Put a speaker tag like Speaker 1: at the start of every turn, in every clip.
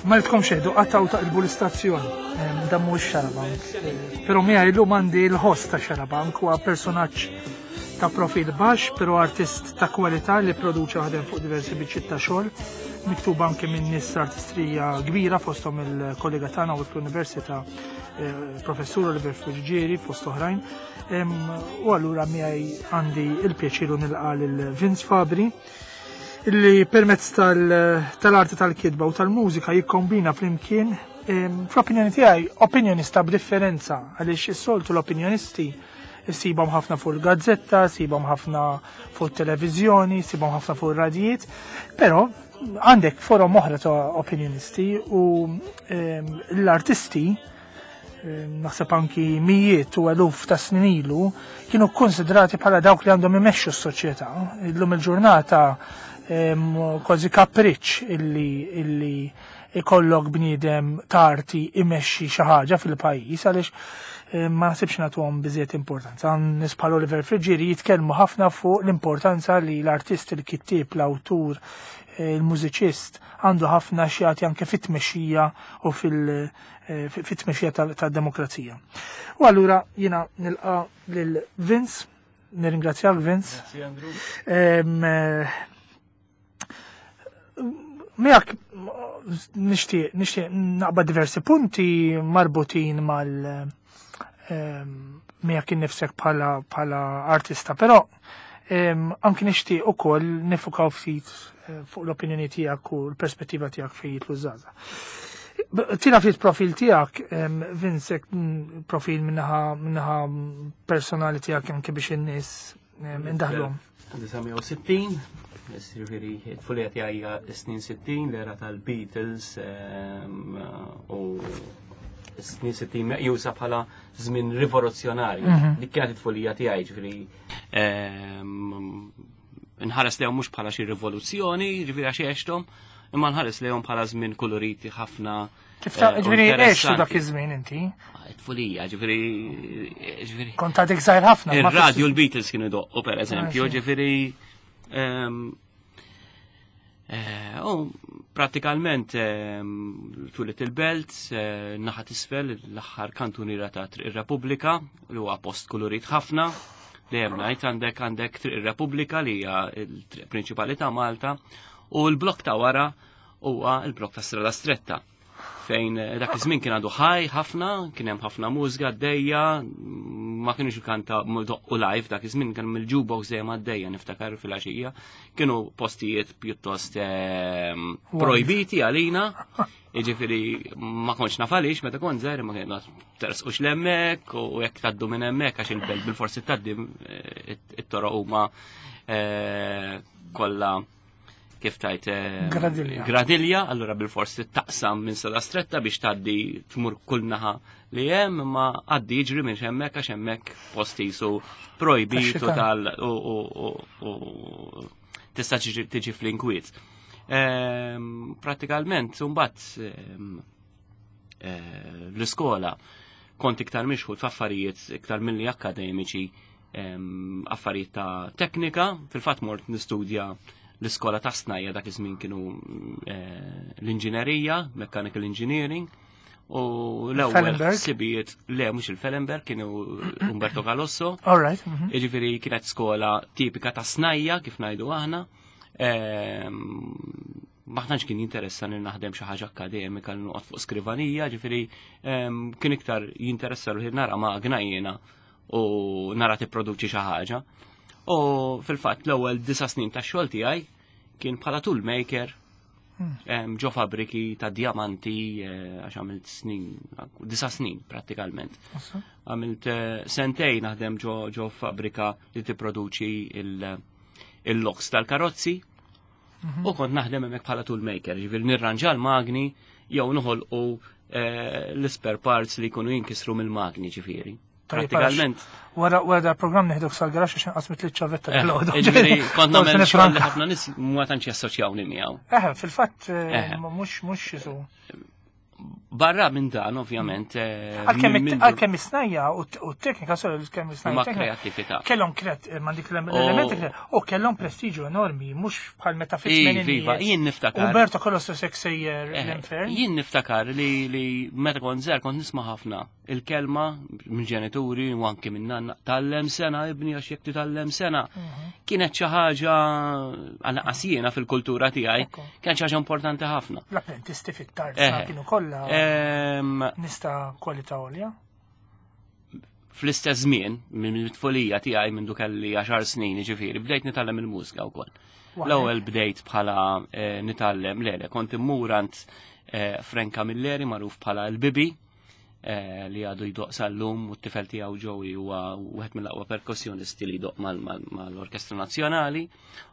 Speaker 1: Ma ridkom xejdu qattaw taqilbu l-istazzjon. Dan mhuwiex Xarabank. Però miegħi llum għandi l-host ta' Xarabank huwa personaġġ ta' profil baxx, però artist ta' kwalità li produċa ħadem fuq diversi biċċiet ta' xogħol, miktuba anke minn nies artistrija kbira fosthom il-kollega tagħna u l-Università eh, professur Oliver Friggieri fost oħrajn. U allura miegħi għandi il-pjaċir nilqa' lil Vince Fabri illi permezz tal-arti tal-kitba u tal-mużika jikkombina flimkien fl-opinjoni tiegħi opinjonista b'differenza għaliex is-soltu l-opinjonisti issibhom ħafna fuq il-gazzetta, issibhom ħafna fuq it-televiżjoni, issibhom ħafna fuq ir-radijiet, però għandek forom oħra ta' opinjonisti u l-artisti naħseb anki mijiet u eluf ta' snin ilu, kienu konsidrati bħala dawk li għandhom imexxu s-soċjetà. Illum il-ġurnata kważi kapriċ illi illi ikollok bniedem ta' arti imexxi xi ħaġa fil-pajjiż għaliex ma naħsibx nagħtuhom biżejjed importanza. Nies bħal Oliver Friggieri jitkellmu ħafna fuq l-importanza li l-artist, il-kittieb, l-awtur, il-mużiċist għandu ħafna x'jagħti anke fit-tmexxija u fil- Eh, fit-tmexxija tad-demokrazija. U allura jiena nilqa lil Vince, nirringrazzjak Vince.
Speaker 2: Grazzi Andrew.
Speaker 1: Eh, miegħek nixtieq nixtieq naqbad diversi punti marbutin mal miegħek innifsek bħala bħala artista, però anki nixtieq ukoll nifukaw ftit eh, fuq l-opinjoni tiegħek u l-perspettiva tiegħek fejn jitlu żgħażagħ. Tina ftit profil tiegħek, Vince, profil minnaħa minnaħa personali tiegħek anke biex in-nies indaħlhom.
Speaker 2: 1960, ġifieri t-tfulija tiegħi hija s-snin 60, l-era tal-Beatles u s-snin 60 meqjusa bħala żmien rivoluzzjonarju. Dik kienet it-tfulija tiegħi, ġifieri nħares lejhom mhux bħala xi rivoluzzjoni, ġifieri għax għexthom, imma nħares lejhom bħala żmien koloriti ħafna.
Speaker 1: Kif ta' eh, ġifieri għextu dak iż-żmien inti?
Speaker 2: Ah, tfulija, ġifieri
Speaker 1: ġifieri. Kont għadek żgħir ħafna.
Speaker 2: Ir-radju l-Beatles kienu doqqu pereżempju, ah, ġifieri ehm, eh, u pratikalment ehm, tulit il-belt, eh, naħat isfel l-aħħar kantuniera ta' Triq ir-Repubblika, li huwa post kolorit ħafna, dejjem ngħid għandek għandek Triq ir-Repubblika li hija l-triq prinċipali ta' Malta, u l-blok ta' wara huwa l-blok ta' Strada Stretta fejn eh, dak iż-żmien kien għadu ħaj ħafna, kien hemm ħafna mużika għaddejja, ma kienux kanta doqqu live dak iż-żmien kien mill-jukebox dejjem għaddejja niftakar fil-għaxija. Kienu postijiet pjuttost ehm, projbiti għalina, jiġifieri ma kontx naf għaliex meta kont żgħir ma kien tersqux l-hemmhekk u jekk tgħaddu minn hemmhekk għax il-belt bil-forsi tgħaddi eh, it-toroq huma eh, kollha kif tajt eh,
Speaker 1: gradilja.
Speaker 2: Gradilja, allura bil-fors taqsam minn sala stretta biex tgħaddi tmur kull naħa li hemm, imma għaddi jiġri minn hemmhekk għax hemmhekk post jisu projbitu tal u tista' tiġi fl-inkwiet. Ehm, pratikalment, mbagħad ehm, eh, l-iskola kont iktar mixħut f'affarijiet iktar milli akademiċi affarijiet ta' teknika, fil-fatt mort nistudja l-iskola ta' snajja dak iż-żmien kienu eh, l-inġinerija, mechanical engineering, u l-ewwel ħsibijiet le mhux il-Fellenberg kienu Umberto Calosso.
Speaker 1: All right. Mhm.
Speaker 2: Jiġifieri kienet skola tipika ta' snajja kif ngħidu aħna. Ma tantx kien jinteressa li naħdem xi ħaġa akkademika li noqgħod fuq skrivanija, ġifieri kien iktar jinteressa ruħi nara magna jiena u nara tipproduċi xi ħaġa. U fil-fatt l-ewwel disa' snin tax-xogħol tiegħi kien bħala tool maker hmm. ġo fabriki ta' diamanti eh, għax għamilt snin, disa' snin prattikalment. Għamilt eh, sentejn naħdem ġo fabrika li tipproduċi il-loks tal-karozzi mhm. u kont naħdem hemmhekk bħala tool maker, ġifieri nirranġa l-magni jew noħolqu eh, l-spare parts li jkunu jinkisru mill-magni ġifieri. Pratikament.
Speaker 1: Wara wara dal-programm neħduk sal-garax għax inqas mitli ċavetta
Speaker 2: eh, bil-għodu. Ġifieri kont nagħmel xogħol li ħafna nies ma tantx jassoċjawni miegħu.
Speaker 1: Eh, fil-fatt eh, mhux mhux jisu.
Speaker 2: Barra minn dan, ovvjament. Eh,
Speaker 1: għalkemm is-snajja u t-teknika, sorry, kemm is-snajja.
Speaker 2: Ma kreattività.
Speaker 1: Kellhom kret, eh, ma dik l-elementi, u kellhom prestiġu enormi, mhux bħal meta fit
Speaker 2: Iva, jien niftakar.
Speaker 1: Umberto Colossus sejjer eh, l-infern.
Speaker 2: Jien niftakar li meta kont żgħar kont nisma' ħafna il-kelma minn ġenituri u anki minn nanna tallem sena ibni għax jekk titgħallem sena. Mhm. Kienet xi ħaġa għal jiena fil-kultura tiegħi, kienet xi ħaġa importanti ħafna.
Speaker 1: L-apprentisti fit-tarza eh. kienu kollha nista' kwalità għolja.
Speaker 2: Fl-istess żmien, minn tfulija tiegħi minn kelli 10 snin, ġifieri, bdejt nitgħallem il-mużika wkoll. L-ewwel bdejt bħala eh, nitgħallem lele, kont immurant eh, Frank Camilleri magħruf bħala l-Bibi, Eh, li għadu jdoq sal-lum u t-tifel tiegħu Joey huwa wieħed mill-aqwa perkussjonisti li jdoq mal-Orkestra Nazzjonali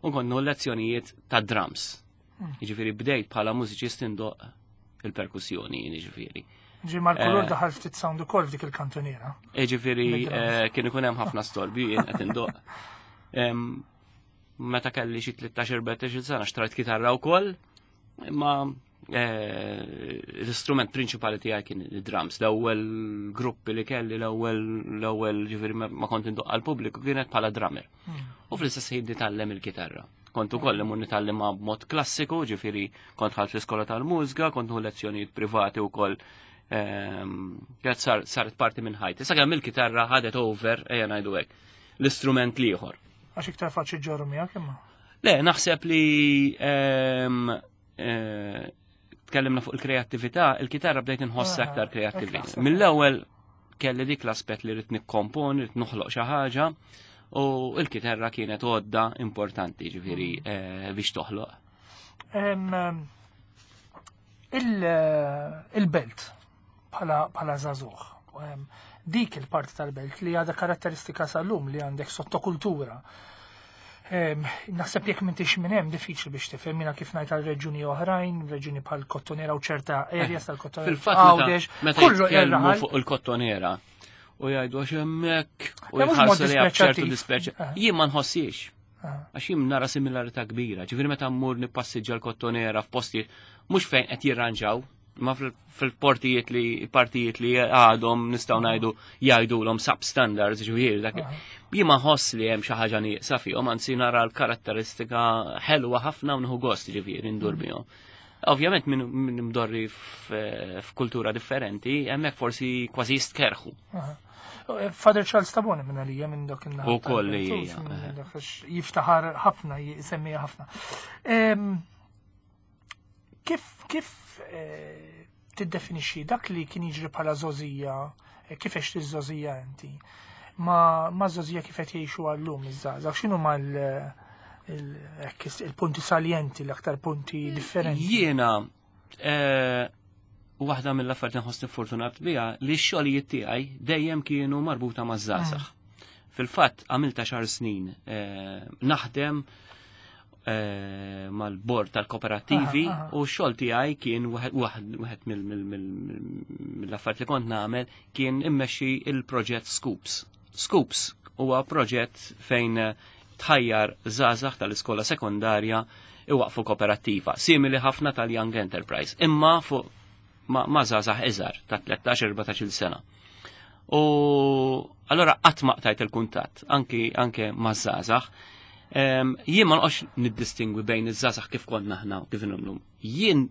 Speaker 2: u konnu lezzjonijiet ta' drums. Hmm. Jiġifieri bdejt bħala mużiċist indoq il-perkussjoni, jiġifieri.
Speaker 1: Ġi mal-kulur eh. daħal ftit sound ukoll f'dik il-kantuniera.
Speaker 2: Jiġifieri eh, kien ikun hemm ħafna storbi jien qed indoq. Meta kelli xi 13-14 sena xtrajt kitarra wkoll, imma Eh, l-istrument prinċipali tiegħi kien id-drums. L-ewwel gruppi li kelli l-ewwel l-ewwel ġifieri ma kont indoq għall-pubbliku kienet bħala drummer. Hmm. U fl-istess ħin nitgħallem il-kitarra. Kont ukoll imur nitgħallimha b'mod klassiku, ġifieri kont ħadt l-iskola tal-mużika, kont nieħu lezzjonijiet privati wkoll ehm, kienet saret parti minn ħajti. Issa kemm il-kitarra ħadet over, ejja ngħidu hekk, l-istrument l-ieħor.
Speaker 1: Għax iktar faċli ġorru miegħek imma.
Speaker 2: Le, naħseb li ehm, eh, tkellimna fuq il-kreattività, il-kitarra bdejt inħoss ah, aktar kreattività. Mill-ewwel kelli dik l-aspett li rrid nikkomponi, rrid noħloq xi ħaġa, u l-kitarra kienet għodda importanti ġifieri mm. eh, biex toħloq.
Speaker 1: Il-belt bħala żagħżugħ. Dik il-parti tal-belt li għadha karatteristika sal-lum li għandek sottokultura. Naħseb jekk m'intix minn hemm diffiċli biex tifhem jiena kif ngħid għal reġjuni oħrajn, reġjuni bħal Kottonera u ċerta areas eh, tal-Kottonera.
Speaker 2: Fil-fatt meta jitkellmu fuq il-Kottonera u jgħidu għax hemmhekk u jħarsu li ċertu dispreċ. Eh. Jien ma nħossiex. Eh. Għax jien nara similarità kbira, ġifieri meta mmur nippassiġġa l-Kottonera f'postijiet mhux fejn qed jirranġaw, ma fil-portijiet li partijiet li għadhom nistgħu ngħidu jgħidulhom substandards ġifieri dak. Jien ma nħoss li hemm xi ħaġa nieqsa fihom, anzi nara l-karatteristika ħelwa ħafna u nieħu gost ġifieri ndur mm. bihom. Ovvjament minn mdorri f'kultura differenti, hemmhekk forsi kważi jistkerħu.
Speaker 1: Father Charles Tabone minn għalija minn dak il
Speaker 2: U kolli.
Speaker 1: Jiftaħar ħafna, jisemmija ħafna. Kif kif eh, tiddefinixxi dak li kien jiġri bħala żogħżija, eh, kif għext iż-żogħżija inti? Ma ma żogħżija kif qed jgħixu għallum iż-żgħażagħ, x'inhu mal il-punti saljenti, l-aktar punti differenti?
Speaker 2: Jiena eh, waħda mill-affarijiet nħossni fortunat biha li x-xogħlijiet tiegħi dejjem kienu marbuta maż-żgħażagħ. Mm. Fil-fatt għamilta xar snin naħdem Eh, mal-bord tal-kooperattivi u x-xogħol tiegħi kien wieħed mill-affarijiet li kont nagħmel kien immexxi il-proġett Scoops. Scoops huwa proġett fejn tħajjar żgħażagħ tal-iskola sekondarja iwaqfu kooperattiva, simili ħafna tal-Young Enterprise, imma fuq ma' żgħażagħ iżgħar ta' 13-14 sena. U allora qatt ma qtajt il-kuntatt anki anke ma' żgħażagħ. Jien ma noqgħodx niddistingwi bejn iż-żgħażagħ kif konna aħna u kif illum. Jien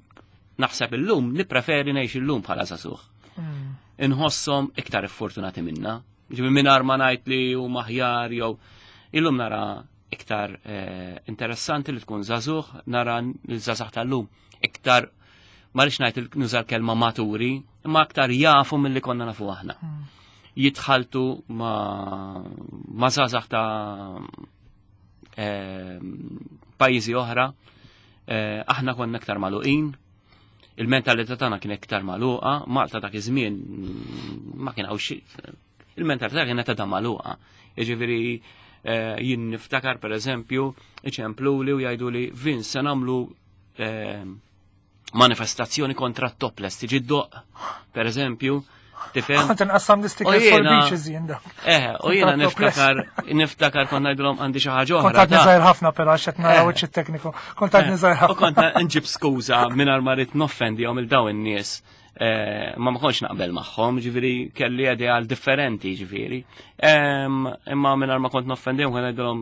Speaker 2: naħseb illum nippreferi ngħix illum bħala żagħżugħ. Hmm. Inħosshom iktar iffortunati minna. Ġifieri mingħajr ma ngħid li huma aħjar jew illum nara iktar eh, interessanti li tkun żagħżugħ, nara l-żagħżagħ tal-lum iktar ma rridx ngħid nuża l-kelma maturi, imma aktar jafu milli konna nafu aħna. Hmm. Jitħaltu ma ma żgħażagħ ta' eh, pajjiżi oħra, eh, aħna konna aktar magħluqin, il-mentalità tagħna kien iktar magħluqa, Malta dak iż-żmien ma kien hawn il-mentalità kienet għadha magħluqa. Jiġifieri eh, jien niftakar pereżempju iċempluli u jgħidu li Vince se nagħmlu eh, manifestazzjoni kontra t-topless tiġi doq, per eżempju, tifhem.
Speaker 1: Kont inqassam l-istickers for beaches jien dak.
Speaker 2: Eh, u jiena niftakar, niftakar kont ngħidulhom għandi xi ħaġa oħra.
Speaker 1: Kont għadni żgħir ħafna però għax qed naraw eh. iċ tekniku. Kont għadni żgħir ħafna.
Speaker 2: U kont nġib skuża mingħajr ma rrid noffendihom il dawn in-nies. Ma ma kontx naqbel magħhom, ġifieri kelli ideal differenti, ġifieri. Imma mingħajr ma kont noffendihom kont ngħidilhom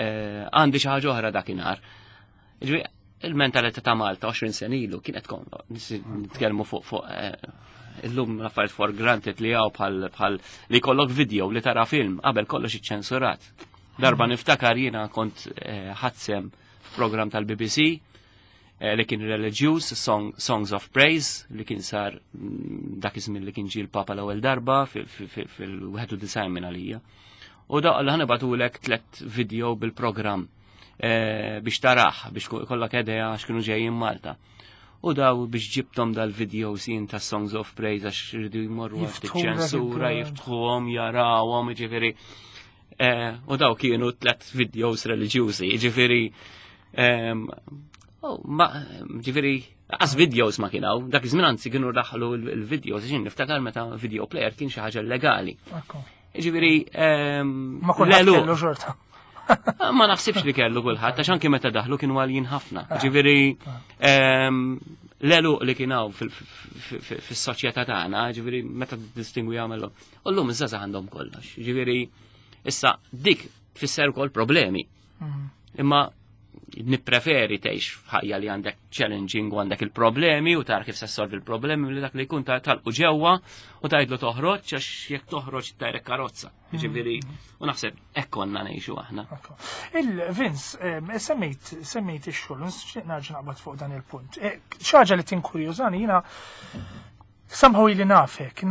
Speaker 2: għandi xi ħaġa oħra dakinhar. Ġifieri il-mentalità ta' Malta 20 sena ilu kienet kon nitkellmu fuq fuq illum l-affarijiet for granted li hawn bħal bħal li jkollok video li tara film qabel kollox iċċensurat. Darba niftakar jiena kont ħadsem f'programm tal-BBC li kien religious, Songs of Praise, li kien sar dak iż-żmien li kien ġie l-Papa l-ewwel darba fil-91 minn għalija. U da li ħa nibagħtulek tlet video bil-programm biex taraħ, biex kollok idea x'kienu ġejjin Malta. U daw biex ġibtom dal-video sin ta' Songs of Praise għax rridu jmorru għand
Speaker 1: Jiftħu dak
Speaker 2: iċ-ċensura, jiftħuhom, jarawhom, ġifieri. U daw kienu tlet videos reliġjużi, ġifieri. Oh, ma, ġifieri, għas videos ma kienaw, dak iż-żmien anzi kienu daħlu il-videos, ġin niftakar meta video player kien xi ħaġa legali. Ġifieri,
Speaker 1: Ma kulħadd
Speaker 2: l-għeluq.
Speaker 1: kellu xorta.
Speaker 2: Ma naħsibx li kellu kulħadd, għax anke meta daħlu kienu għaljin ħafna. Ġifieri, l-għeluq li kien hawn fis-soċjetà tagħna, ġifieri meta distingwi jagħmlu. U llum iż-żgħażagħ għandhom kollox. Ġifieri, issa dik tfisser ukoll problemi. Imma nippreferi tgħix f'ħajja li għandek challenging u għandek il-problemi u tara kif se solvi il-problemi li dak li jkun talqu ġewwa u tgħidlu toħroġ għax jekk toħroġ tajrek karozza. Ġifieri, u naħseb hekk konna ngħixu aħna.
Speaker 1: Ekku. Il-Vince, semmejt ix-xogħol, nixtieq nerġa' naqbad fuq dan il-punt. Xi ħaġa li tinkurjużani jiena somehow ili nafek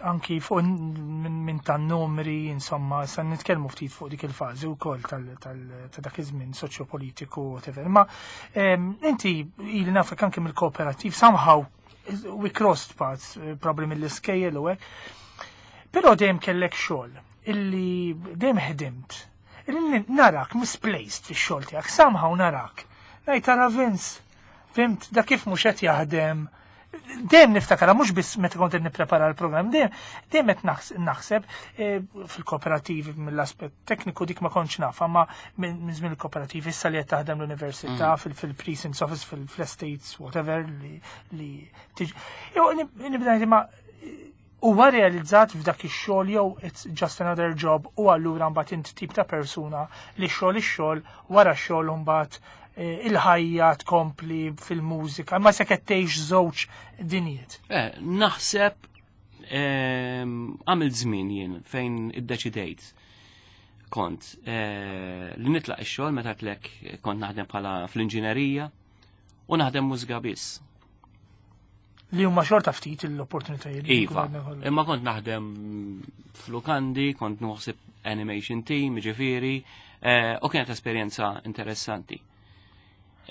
Speaker 1: anki fuq minn tan-numri, insomma, sa nitkellmu ftit fuq dik il-fażi wkoll ta' dak iż-żmien soċjopolitiku, whatever. Ma inti ili nafek anki mill-kooperativ, somehow we crossed paths, probably mill-iskejjel u hekk. Però dejjem kellek xogħol illi dejjem ħdimt. Illi narak misplaced fix-xogħol tiegħek, somehow narak. Ngħid tara Vince, fimt, da kif mhux qed jaħdem. Dejjem niftakara, mhux biss meta kont qed nipprepara l-programm, dejjem qed naħseb fil-kooperativi mill-aspett tekniku dik ma kontx naf, ma minn żmien il-kooperativi issa li qed taħdem l-università, fil-Precincts Office, fil-Estates, whatever, li tiġi. Jew nibda ngħid, ma huwa realizzat f'dak ix-xogħol jew it's just another job u allura mbagħad int tip ta' persuna li xogħol ix-xogħol wara x-xogħol mbagħad il-ħajja tkompli fil-mużika, ma se qed tgħix żewġ dinjiet.
Speaker 2: Naħseb għamilt żmien jien fejn iddeċidejt kont li nitlaq ix-xogħol meta tlek kont naħdem bħala fl-inġinerija u naħdem mużika biss.
Speaker 1: Li huma xorta ftit l-opportunitajiet li
Speaker 2: Iva,
Speaker 1: jkunu għandna kollha.
Speaker 2: imma kont naħdem f'lukandi, kont naħseb animation team, ġifieri, u kienet esperjenza interessanti.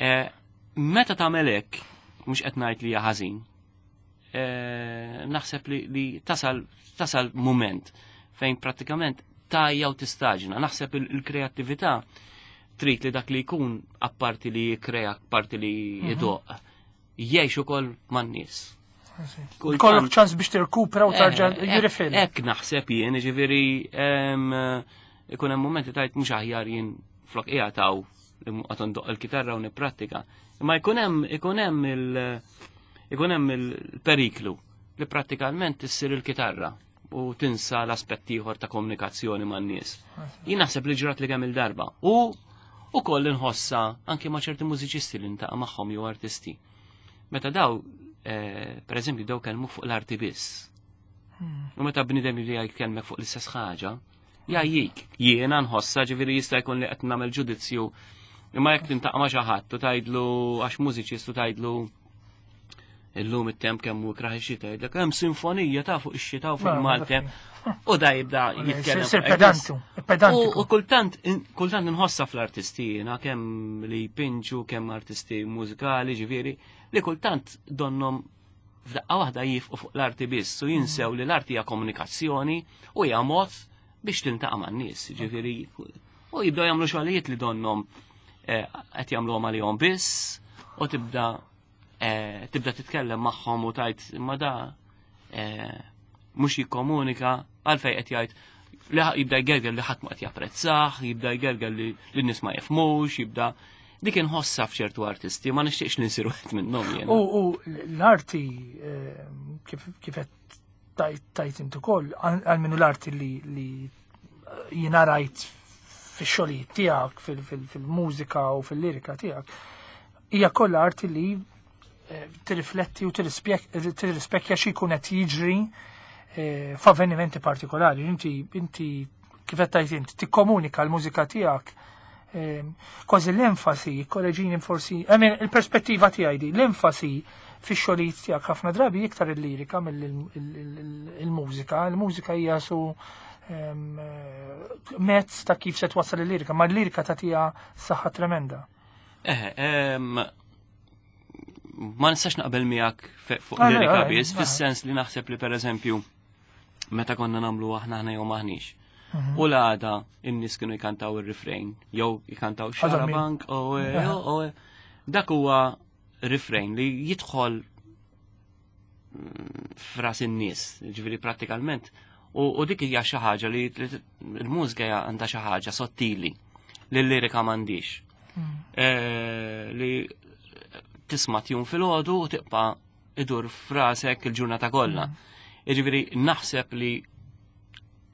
Speaker 2: Meta tagħmel hekk, mhux qed ngħid li hija ħażin, naħseb li tasal moment fejn prattikament tajja u tistaġna. Naħseb il-kreattività trid li dak li jkun apparti li jikkrea, apparti li jdoq, jgħix ukoll man-nies. Kultant
Speaker 1: Kollok ċans biex tirkupra u tarġa' jirifil.
Speaker 2: Hekk naħseb jien, ġifieri, ikun hemm momenti tajt mhux aħjar jien flok qiegħed hawn li qed ndoqq il-kitarra u nipprattika. Imma ikun hemm il-periklu li prattikalment issir il-kitarra u tinsa l-aspett ieħor ta' komunikazzjoni man-nies. Jien naħseb li ġrat li kemm il-darba. U ukoll inħossa anke ma' ċerti mużiċisti li ntaqa' magħhom jew artisti. Meta daw, per eżempju, daw kellmu fuq l-arti biss. U meta bniedem li jkellmek fuq l-istess ħaġa, jgħajjik. Jiena nħossa, ġifieri jista' jkun li qed nagħmel ġudizzju. Imma jekk tintaqa' ma' xi ħadd u tgħidlu għax mużiċist u tgħidlu illum it-temp kemm hu ikraħ ix-xita, jgħidlek hemm sinfonija ta' fuq ix-xita u fuq
Speaker 1: Ma,
Speaker 2: il-Maltem. U da jibda
Speaker 1: Sir
Speaker 2: jitkellem
Speaker 1: sir
Speaker 2: fuq
Speaker 1: pedantu,
Speaker 2: hekk.
Speaker 1: pedantiku.
Speaker 2: U kultant inħossa fl-artisti jiena, kemm li jpinġu, kemm artisti mużikali, ġifieri, li kultant donnom f'daqqa waħda jifqu fuq l-arti biss u jinsew li l-arti hija komunikazzjoni u hija mod biex tintaqa' man-nies, ġifieri, u jibdew jagħmlu xogħlijiet li donnom qed jagħmluhom għalihom biss u tibda titkellem magħhom u tgħid imma da mhux jikkomunika għalfejn qed jgħid li jibda jgerger li ħadd ma qed japprezzah, jibda jgerger li n-nies ma jifhmux, jibda. Dik inħossha f'ċertu artisti, ma nixtieqx li nsiru wieħed minnhom jien.
Speaker 1: U l-arti kif qed tajt inti ukoll, għal l-arti li jiena rajt fix-xogħlijiet tiegħek, fil-mużika u fil-lirika tiegħek, hija kollha arti li tirrifletti u tirrispekja xi jkun qed jiġri f'avvenimenti partikolari. Inti kif qed tgħid inti tikkomunika l-mużika tiegħek kważi l-enfasi, korreġini forsi, I mean, il-perspettiva tiegħi di, l-enfasi fix-xogħlijiet tiegħek ħafna drabi iktar il-lirika mill-mużika. Il-mużika hija su mezz ta' kif se twassal il-lirika, ma l-lirika tagħtiha saħħa tremenda.
Speaker 2: Ma nistax naqbel miegħek fuq lirika biss, fis-sens li naħseb li pereżempju meta konna nagħmlu aħna aħna jew maħniex. U l-għada in-nies kienu jkantaw ir-refrain, jew jkantaw Xarabank, o dak huwa refrain li jidħol f'ras in-nies, ġifieri prattikalment. U dik hija xi ħaġa li l-mużika għandha xi ħaġa sottili li l-lirika m'għandix. Li tisma' tjun filgħodu u tibqa' idur f'rasek il-ġurnata kollha. Jiġifieri naħseb li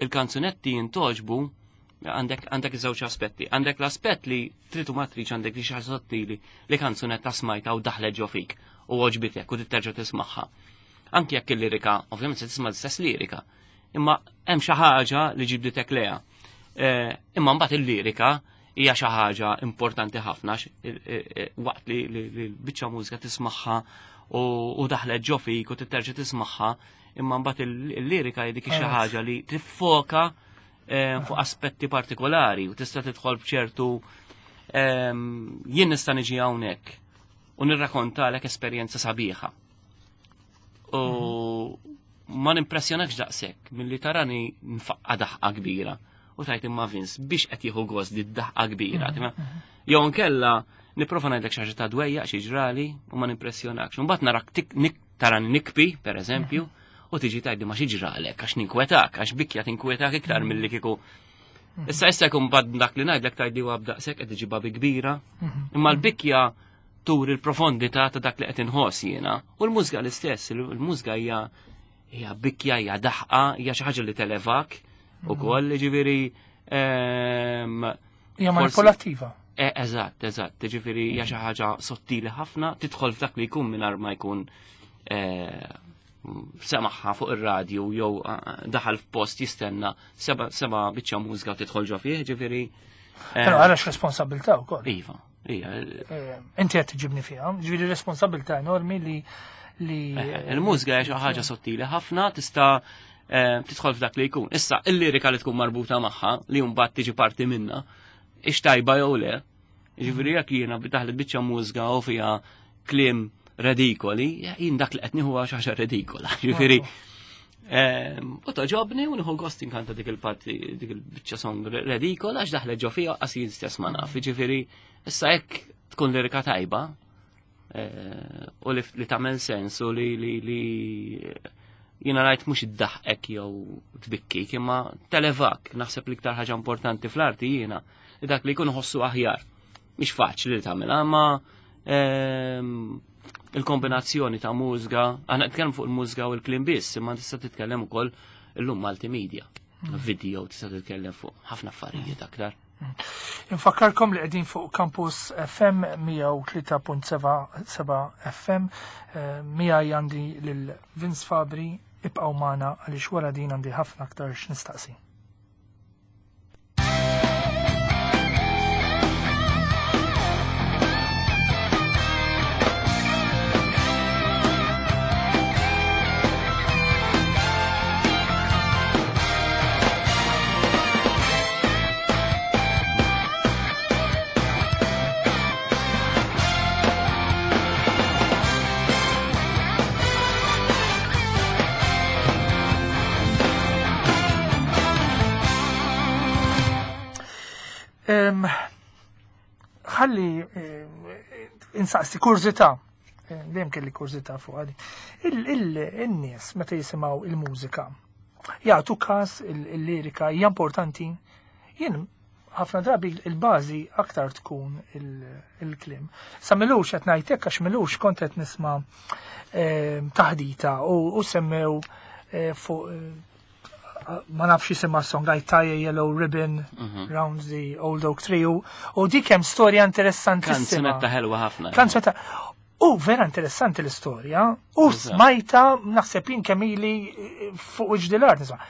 Speaker 2: il-kanzunetti jintoġbu għandek żewġ aspetti. Għandek l-aspett li trid u ma tridx għandek li xi ħaġa sottili li kanzunetta smajta u daħlet ġo fik u għoġbitek u titterġa' tismagħha. Anki jekk il-lirika, ovvjament se tisma' l-istess lirika, imma hemm xi ħaġa li ġibditek leha. Imma mbagħad il-lirika hija xi ħaġa importanti ħafna waqt li l-biċċa mużika tismagħha u daħlet ġo fik u titterġa' tismagħha, imma mbagħad il-lirika hi dik xi ħaġa li tiffoka fuq aspetti partikolari u tista' tidħol b'ċertu jien nista' niġi hawnhekk u nirrakkontalek esperjenza sabiħa. U ma nimpressjonakx daqshekk milli tarani nfaqqa daħqa kbira. U tajt imma Vince biex qed jieħu gost di daħqa kbira. Jew nkella nipprova ngħidlek xi ħaġa ta' dwejjaq xi ġrali u ma nimpressjonakx. Mbagħad narak tarani nikbi, pereżempju, u tiġi tgħidli ma xi ġralek għax ninkwetak, għax bikja tinkwetak iktar milli kieku. Issa issa jkun bad dak li ngħidlek tgħidli huwa b'daqshekk qed iġibha bi kbira. Imma l-bikja tur il-profondità ta' dak li qed inħoss jiena. U l-mużika l-istess, il-mużika hija bikja, hija daħqa, hija xi ħaġa li televak ukoll, jiġifieri,
Speaker 1: Hija manipulattiva.
Speaker 2: Eżatt, eżatt, jiġifieri hija xi ħaġa sottili ħafna, tidħol f'dak li jkun mingħajr ma jkun semaħħa fuq ir-radju jew daħal f'post jistenna seba' biċċa mużika u tidħol ġo fih, ġifieri,
Speaker 1: Però għalax responsabilità wkoll.
Speaker 2: Iva, ija.
Speaker 1: Inti qed tiġibni fiha, ġifieri responsabilità enormi li
Speaker 2: Il-mużika hija xi ħaġa sottili ħafna, tista' tidħol f'dak li jkun. Issa, il-lirika li tkun marbuta magħha, li mbagħad tiġi parti minna, ix tajba jew le. Ġifieri jekk jiena daħlet biċċa mużika u fiha kliem redikoli, jien dak li qed nieħu xi ħaġa redikola. Ġifieri, u toġobni u nieħu gost inkanta dik il-parti, dik il-biċċa song redikola għax daħlet ġo fiha qas jien stess ma naf. Ġifieri, issa jekk tkun lirika tajba, u li tagħmel sens u li jiena ngħid mhux iddaħqek jew tbikkik, imma televak, naħseb l-iktar ħaġa importanti fl-arti jiena li dak li jkun ħossu aħjar. Mhix faċli li tagħmilha, imma il-kombinazzjoni ta' mużika, aħna nitkellmu fuq il-mużika u l-kliem biss, imma tista' titkellem ukoll illum multimedia, video, tista' titkellem fuq ħafna affarijiet aktar.
Speaker 1: Infakkarkom li qegħdin fuq Campus FM 103.7 FM, miegħi għandi lil Vince Fabri, ibqgħu magħna għaliex wara din għandi ħafna aktar x'nistaqsi. Ħalli insaqsi kurżità, dejjem kelli kurżità fuq għadi. Il-nies meta jisimgħu il-mużika jagħtu każ il-lirika hija importanti. Jien ħafna drabi il-bażi aktar tkun il-kliem. Sa milux qed ngħidlek għax milux kont qed nisma' taħdita u semmew fuq ma nafx jisimha song I tie a yellow ribbon round the old oak tree u dik hemm storja interessantissima.
Speaker 2: Kanzunetta ħelwa ħafna.
Speaker 1: Kanzunetta. U vera interessanti l-istorja u smajta naħseb jien kemm ili fuq wiċċ dil-art nisma'.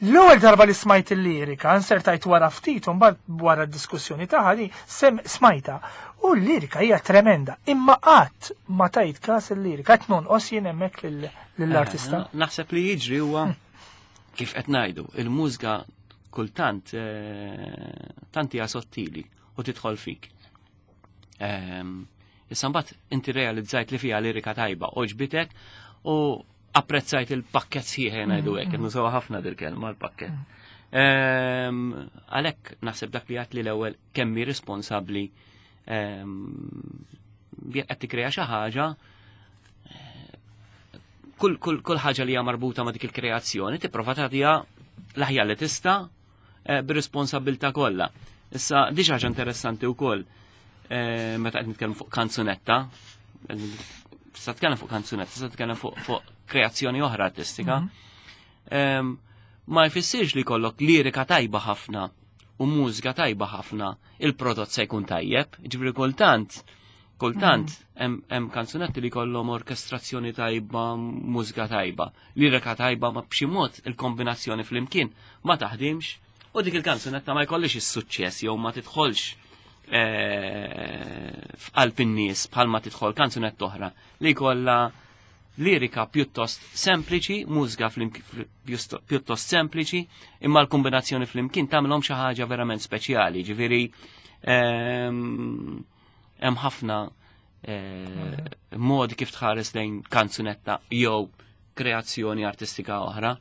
Speaker 1: L-ewwel darba li smajt il-lirika, nsertajt wara ftit u mbagħad wara d-diskussjoni tagħha li sem smajta. U l-lirika hija tremenda, imma qatt ma tajt każ il-lirika, qed nonqos jien hemmhekk lill-artista.
Speaker 2: Naħseb li jiġri huwa kif qed ngħidu, il-mużika kultant tant hija sottili u tidħol fik. Issa mbagħad inti realizzajt li fiha lirika tajba, oġbitek u apprezzajt il-pakket sħiħ ngħidu hekk, nużaw ħafna dil-kelma l-pakket. Għalhekk naħseb dak li għat li l-ewwel kemm hi responsabbli qed tikkrea xi ħaġa, kull ħaġa li hija marbuta ma' dik il-kreazzjoni tipprova tagħtiha l-aħjar li tista' bir-responsabilità kollha. Issa di xi ħaġa interessanti wkoll meta qed nitkellmu fuq kanzunetta, tista' tkellem fuq kanzunetta, tista' tkellem fuq kreazzjoni oħra artistika. Ma jfissirx li jkollok lirika tajba ħafna u mużika tajba ħafna, il-prodott se jkun tajjeb, ġifieri kultant hemm kanzunetti li jkollhom orkestrazzjoni tajba, mużika tajba, lirika tajba, ma b'xi mod il-kombinazzjoni flimkien ma taħdimx u dik il-kanzunetta ma jkollix is-suċċess jew ma tidħolx f'qalb in-nies bħalma tidħol kanzunetta oħra li jkollha lirika pjuttost sempliċi, mużika pjuttost sempliċi, imma l-kombinazzjoni flimkien tagħmilhom xi ħaġa verament speċjali, ġifieri hemm ħafna modi kif tħares lejn kanzunetta jew kreazzjoni artistika oħra.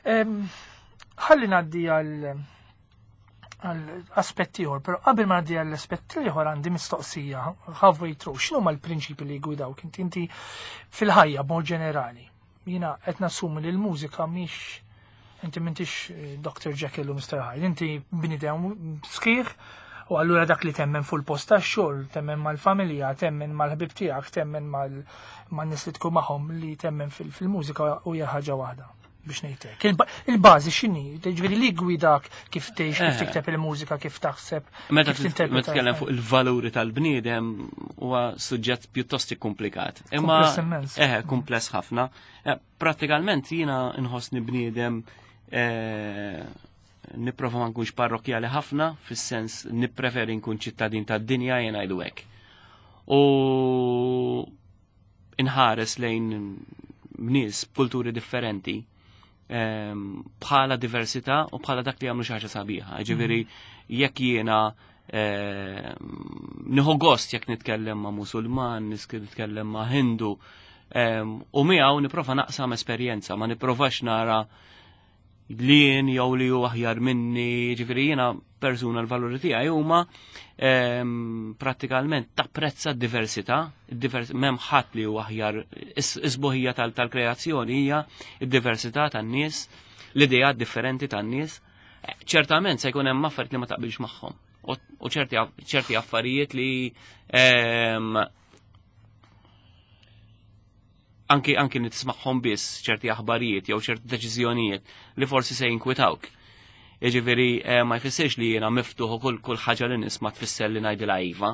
Speaker 1: Ħalli ngħaddi għal aspetti ieħor, però qabel ma ngħaddi għall aspetti ieħor għandi mistoqsija halfway through. X'inhu l-prinċipi li jgwidawk inti fil-ħajja b'mod ġenerali? Jiena qed nassumi li l-mużika mhix inti m'intix Dr. Jekyll u Mr. Hyde, inti bniedem sħiħ u allura dak li temmen fuq il-post tax-xogħol, temmen mal-familja, temmen mal-ħbib tiegħek, temmen man-nies li tkun magħhom li temmen fil-mużika u hija ħaġa waħda biex ngħidlek. Il-bażi x'inhi? Ġifieri li gwidak kif tgħix, kif tikteb il-mużika, kif taħseb,
Speaker 2: Meta
Speaker 1: kif tinterpreta.
Speaker 2: Tkellem fuq il-valuri tal-bniedem huwa suġġett pjuttost komplikat. Imma
Speaker 1: Kumpless immens.
Speaker 2: Kumpless ħafna. Prattikalment jiena nħossni bniedem nipprova ma nkunx parrokkjali ħafna, fis-sens nippreferi nkun ċittadin tad-dinja jien ngħidu hekk. U inħares lejn nies b'kulturi differenti bħala diversità u bħala dak li jagħmlu xi ħaġa sabiħa. Ġifieri jekk jiena nieħu gost jekk nitkellem ma' Musulman, nitkellem ma' Hindu, u miegħu nipprova naqsam esperjenza, ma nipprovax nara li jien jew li hu aħjar minni, ġifieri jiena persuna l-valuri tiegħi huma prattikalment tapprezza d-diversità, m'hemm ħadd li hu aħjar, is-sbuħija tal-kreazzjoni hija d-diversità tan-nies, l-ideat differenti tan-nies. Ċertament se jkun hemm affarijiet li ma taqbilx magħhom u ċerti affarijiet li anki nismagħhom biss ċerti aħbarijiet jew ċerti deċiżjonijiet li forsi se jinkwitawk. Jiġifieri ma jfissirx li jiena miftuħ u kull ħaġa li nisma' tfisser li ngħidilha iva.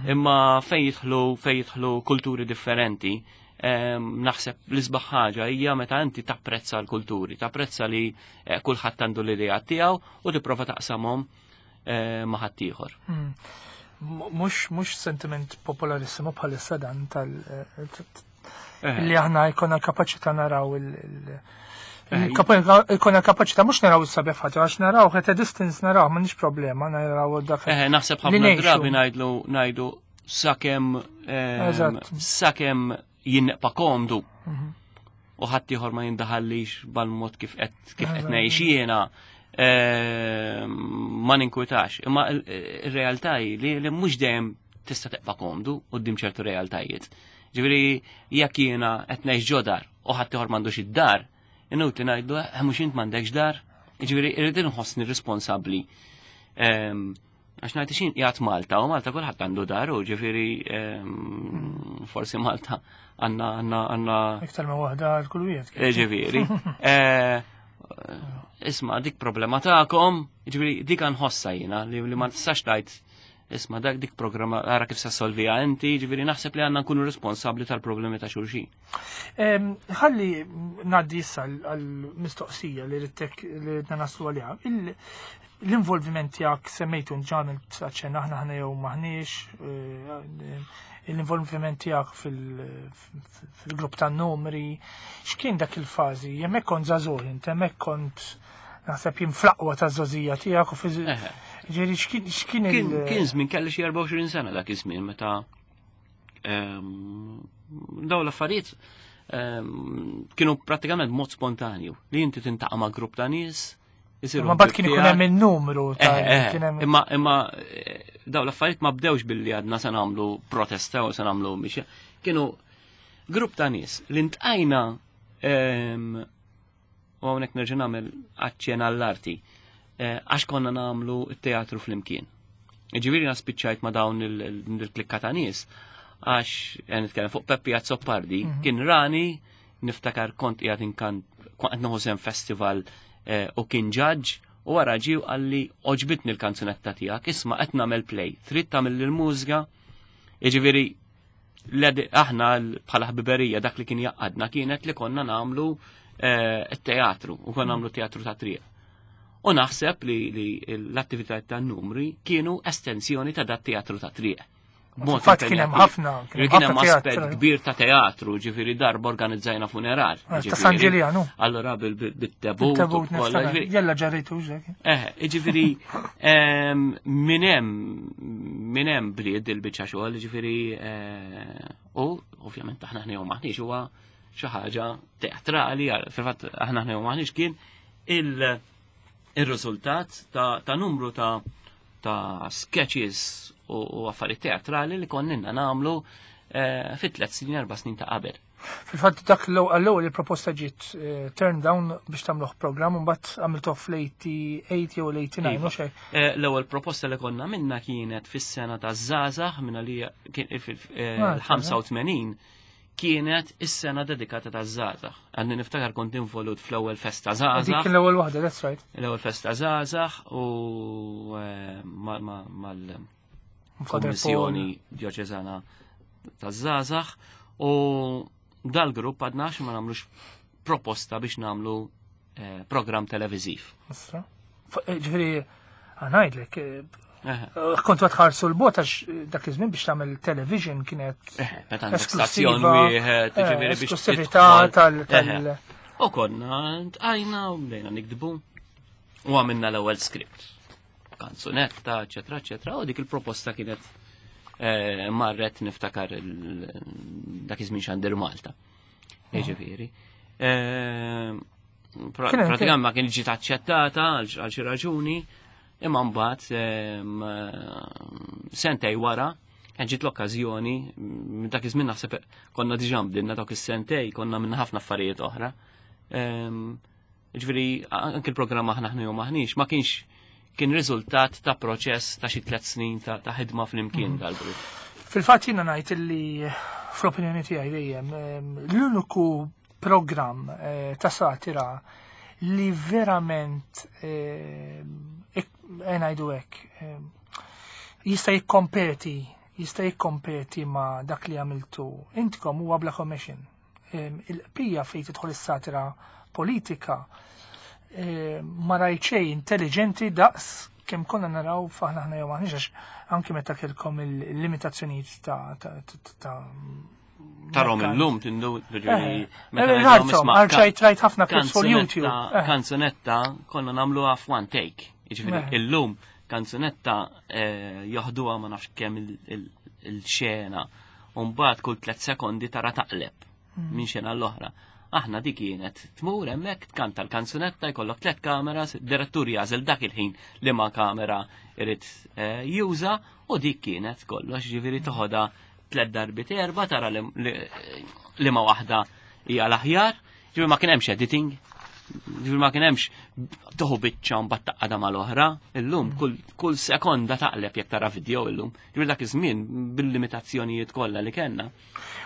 Speaker 2: Imma fejn jidħlu kulturi differenti, naħseb l-isbaħ ħaġa hija meta inti tapprezza l-kulturi, tapprezza li kulħadd għandu l-idea tiegħu u tipprova taqsamhom ma' ħaddieħor.
Speaker 1: Mhux sentiment popolarissimo bħalissa dan tal li aħna jkollna l-kapaċità naraw jkollna l-kapaċità mhux naraw is-sabiħ ħaġa, għax naraw at a distance naraw, m'għandix problema naraw dak
Speaker 2: Naħseb
Speaker 1: li
Speaker 2: ħafna
Speaker 1: ngħixu.
Speaker 2: drabi ngħidu sakemm jinneqpa komdu. U ħadd ieħor ma jindaħallix bal-mod kif qed ngħix jiena, ma ninkwitax. Imma ir-realtà hi li mhux dejjem tista' teqpa' komdu quddiem ċertu realtajiet. Ġifieri jekk jiena qed ngħix ġo dar u ħadd ieħor m'għandux id-dar, inutli ngħidlu mhux int m'għandekx dar. Ġifieri irrid inħossni responsabbli. Għax ngħid xin qiegħed Malta u Malta kulħadd għandu dar u ġifieri forsi Malta għandna għandna għandna
Speaker 1: Iktar ma waħda għal kull wieħed.
Speaker 2: Eh, ġifieri. Eh, isma' dik problema tagħkom, ġifieri dik nħossa jiena li ma tistax tgħid isma' dak dik programma ara kif se solvija inti, ġifieri naħseb li għandna nkunu responsabbli tal-problemi ta' xulxin.
Speaker 1: Ħalli ngħaddi issa għall-mistoqsija li ridtek li ridna naslu għaliha. L-involviment tiegħek semmejtu ġamil aċċenna aħna ħna jew maħniex, eh, l-involviment tiegħek fil-grupp tan-numri, x'kien dak il-fażi? Hemmhekk kont żagħżugħ int, hemmhekk kont naħseb jien fl-aqwa taż-żgħożija tiegħek u ġieli x'kien
Speaker 2: il- Kien żmien kelli xi 24 sena dak iż-żmien meta daw l-affarijiet kienu prattikament mod spontanju li inti tintaqa' ma' grupp ta' nies.
Speaker 1: Ma bad kien ikun hemm in-numru ta'
Speaker 2: eh, eh, Imma imma eh, daw l-affarijiet ma bdewx billi għadna se nagħmlu protesta u se nagħmlu mixja. Kienu grupp ta' nies li ntqajna u hawnhekk nerġa' nagħmel aċċen għall-arti għax konna nagħmlu t-teatru flimkien. Ġifieri spiċċajt ma' dawn il-klikka ta' nies għax nitkellem fuq Peppi Azzopardi kien rani niftakar kont qiegħed inkan kont nieħu sem festival eh, u kien ġaġġ u wara ġie qalli oġbitni l-kanzunetta tiegħek, isma' qed nagħmel play, trid tagħmel il-mużika. Jiġifieri aħna bħala ħbiberija dak li kien jaqadna kienet li konna nagħmlu eh, teatru u konna nagħmlu teatru ta' triq. U naħseb li l-attivitajiet tan numri kienu estensjoni ta' dat teatru ta' triq.
Speaker 1: Fatt kien hemm ħafna.
Speaker 2: Kien hemm aspett kbir ta' teatru, ġifieri darba organizzajna funeral.
Speaker 1: Ah, ta' San Ġiljanu.
Speaker 2: Allora bit-tebut.
Speaker 1: Jella ġarritu ġek.
Speaker 2: Eh, ġifieri minn hemm minn hemm blied il-biċċa xogħol, ġifieri eh, u ovvjament aħna ħnew maħniex huwa xi ħaġa teatrali, fil-fatt aħna ħnew maħniex kien il-riżultat ta' numru ta' ta' sketches u affarijiet teatrali li konninna nagħmlu eh, fit tliet snin, erba' snin ta' qabel.
Speaker 1: Fil-fatt dak l-ewwel il-proposta ġiet eh, turn down biex tagħmluh programm u mbagħad għamiltuh fl-88 jew l-89
Speaker 2: iva.
Speaker 1: mhux hekk.
Speaker 2: Eh, l-ewwel proposta li konna minna kienet fis-sena ta' żgħażagħ minna li kien fil-85 kienet is-sena dedikata ta' żgħażagħ. Għandi niftakar kont involut fl-ewwel festa żgħażagħ.
Speaker 1: Dik l-ewwel waħda, that's right.
Speaker 2: L-ewwel festa żgħażagħ u eh, mal-Kummissjoni Djoċeżana ta' żgħażagħ u dal-grupp għadna ma nagħmlux proposta biex nagħmlu eh, program televiziv.
Speaker 1: Eh, ġifieri għanajdlek, eh, kontu għatħarsu l-bot għax dak iż-żmien biex tagħmel television kienet
Speaker 2: stazzjon wieħed, ġifieri biex
Speaker 1: esklusività tal
Speaker 2: U konna tqajna u bdejna nikdbu u għamilna l-ewwel script. Kanzunetta, eċetera, eċetera, u dik il-proposta kienet marret niftakar dak iż-żmien xandir Malta. Jiġifieri. Pratikament ma kien ġiet aċċettata għal xi raġuni, imma mbagħad sentej wara kien ġiet l-okkażjoni, minn dak iż-żmien naħseb konna diġà bdilna dawk is-sentej, konna minn ħafna affarijiet oħra. Ġifieri anke l-programm aħna ħnu jew maħniex ma kienx kien riżultat ta' proċess ta' xi tliet snin ta' ħidma flimkien mhm. dal-grupp.
Speaker 1: Fil-fatt jiena ngħid illi fl-opinjoni tiegħi dejjem l-uniku programm eh, ta' satira li verament eh, eh, ngħidu hekk jista' jikkompeti jista' jikkompeti ma' dak li għamiltu intkom huwa bla commission. Il-qbija fejn tidħol is-satira politika ma rajt xejn intelligenti daqs kemm konna naraw faħna ħna jew maħniex għax anki meta kellkom il-limitazzjonijiet ta' ta'
Speaker 2: Tarom illum tindu
Speaker 1: ġifieri meta ngħidulhom Rajt rajt ħafna clips fuq YouTube.
Speaker 2: Eh. Kanzunetta konna nagħmluha f'one take. Jiġifieri eh. illum kanzunetta eh, joħduha ma nafx kemm il-xena u mbagħad kull tliet sekondi tara taqleb hmm. minn xena l-oħra. Aħna dik kienet tmur hemmhekk tkanta l-kanzunetta jkollok tliet kameras, direttur jażel dak il-ħin li ma kamera irid juża u dik kienet kollox, ġifieri toħodha tliet darbit erba tara li ma waħda hija l-aħjar, ġifieri ma kien hemmx editing. Ġifieri ma kien hemmx toħu biċċa mbagħad taqgħadha mal-oħra, illum mm. kull sekonda taqleb jekk tara video illum. Ġifieri dak iż-żmien bil-limitazzjonijiet kollha li kellna.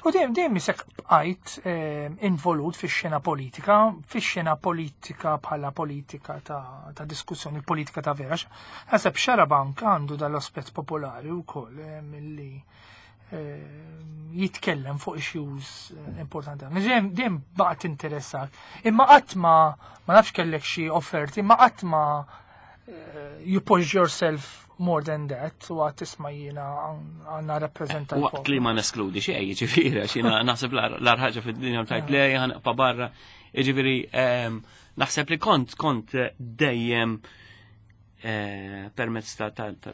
Speaker 1: U dejjem dejjem isek bqajt eh, involut fix-xena politika, fix-xena politika bħala politika ta', ta diskussjoni, politika ta' vera. Naħseb Xarabank għandu dal-aspett popolari wkoll eh, milli eh, jitkellem fuq issues eh, importanti. Dejjem dejjem baqgħet interessak. Imma qatt ma ma nafx kellek xi offerti, imma qatt ma eh, you push yourself more than that u għat tisma jiena għanna rappresentant.
Speaker 2: Waqt li ma neskludi xej, ġifieri, għax jiena naħseb l-arħaġa fid-dinja tajt le ħanqpa barra. Ġifieri, ehm, naħseb li kont kont dejjem Eh, permezz ta'